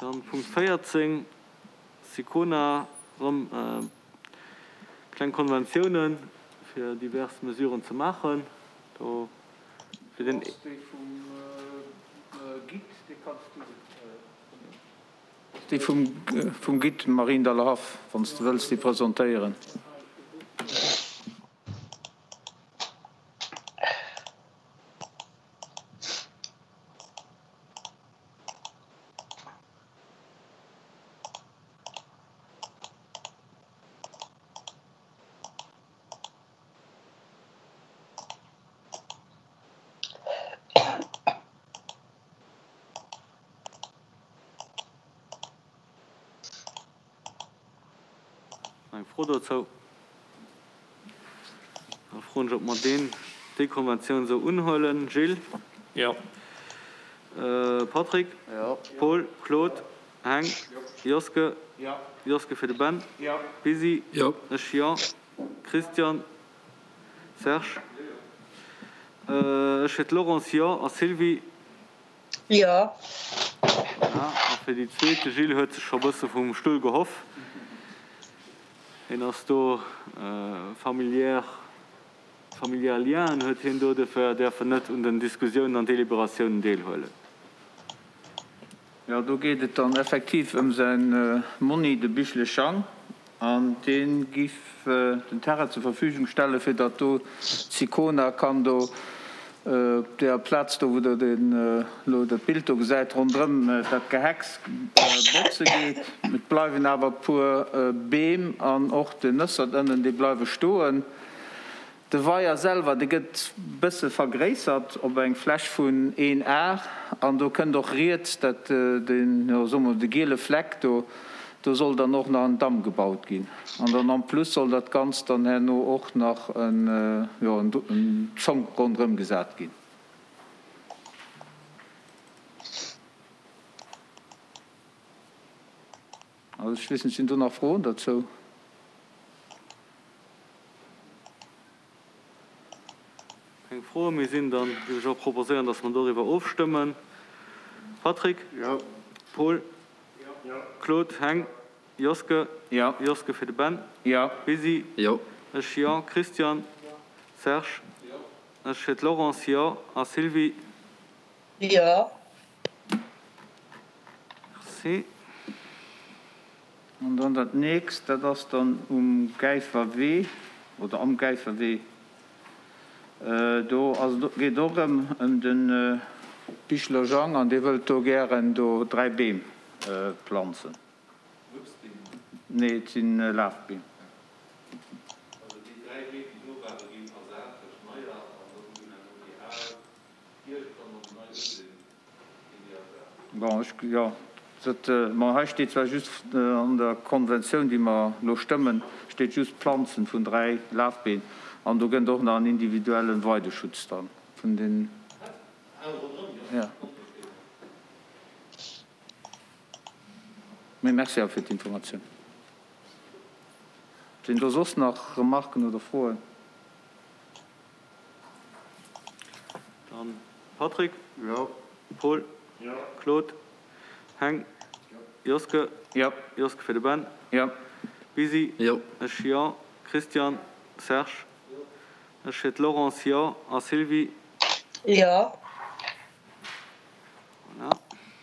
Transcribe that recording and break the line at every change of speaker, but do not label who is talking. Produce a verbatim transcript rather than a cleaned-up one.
Dann Punkt véierzéng, Sicona, erëm kleng Konventiounen, fir divers Mesuren ze maachen. Do fir den.
Do ass déi vum Guide, déi kanns du. Déi vum Guide Mariendallerhaff, wann s de wëlls déi presentéieren.
Eng Fro dozou? Da froen ech, ob mer deen, déi Konventioun esou unhuelen. Gilles?
Jo.
Patrick?
Jo.
Paul? Claude? Heng? Joske?
Jo.
Joske fir de Ben?
Jo.
Bisi?
Jo.
Ech jo. Christian? Serge? Ech fir d'Laurence jo. A Sylvie?
Jo.
Voilà. A fir déi zweet, de Gilles huet sech scho e bësse vum Stull gehoff. Hien ass do familiär, familiär Lienen huet hien do, dofir däerf en net un den Diskussiounen an Deliberatiounen deelhuelen.
Jo, do geet et dann effektiv ëm säin Monni, de Bichle Jang, an dee giff den Terrain zur Verfügung stellen, fir datt do d'Sicona kann do op deeër Plaz do, wou Der den elo dat Bild do gesäit, ronderëm dat Gehecks botze geet. Et bleiwen awer e puer Beem an och den Nëssert ënnen, déi bleiwe stoen. De Weier selwer, dee gëtt bësse vergréissert op eng Fläch vun een Ar an do kënnt och riets dat, deen, jo, soe mer de giele Fleck do, do soll dann och nach en Damm gebaut ginn. An dann en plus soll dat Ganzt dann herno och nach en, jo, en Zonk ronderëm gesat ginn. Also ech weess net, sinn do nach Froen derzou?
Keng Froe méi sinn, dann géif ech och proposéieren, dass mer doriwwer ofstëmmen. Patrick?
Jo.
Paul?
Jo.
Claude? Heng? Joske?
Jo.
Joske fir de Ben?
Jo.
Bisi?
Jo.
Ech jo. Christian?
Jo.
Serge?
Jo.
Ech fir d'Laurence jo. A Sylvie?
Jo.
Merci.
An dann dat nächst, dat ass dann um Gäifer Wee oder am Gäifer Wee. Do ass et, geet et och erëm ëm de Bichler Jang an dee wëllt do gären do dräi Beem planzen.
Wuessbeem?
Nee, et si Lafbeem.
Also déi dräi Beem, déi do waren, ginn ersat duerch neier an dann ginn herno déi al iergendwann, wann se nei usinn, ginn déi ersat.
Bon, ech, jo, dat, ma hei steet zwar just an der Konventioun, déi mer elo stëmmen, steet just Planzen vun dräi Lafbeen an do gënnt och nach en individuellen Weideschutz dann vun den, jo. Mee merci awer fir d'Informatioun. Sinn do soss nach Remarken oder Froen?
Dann Patrick.
Jo.
Paul.
Jo.
Claude. Heng.
Jo.
Joske.
Jo.
Joske fir de Ben.
Jo.
Bisi.
Jo.
Ech jo. Christian. Serge.
Jo.
Ech fir d'Laurence jo. A Sylvie.
Jo.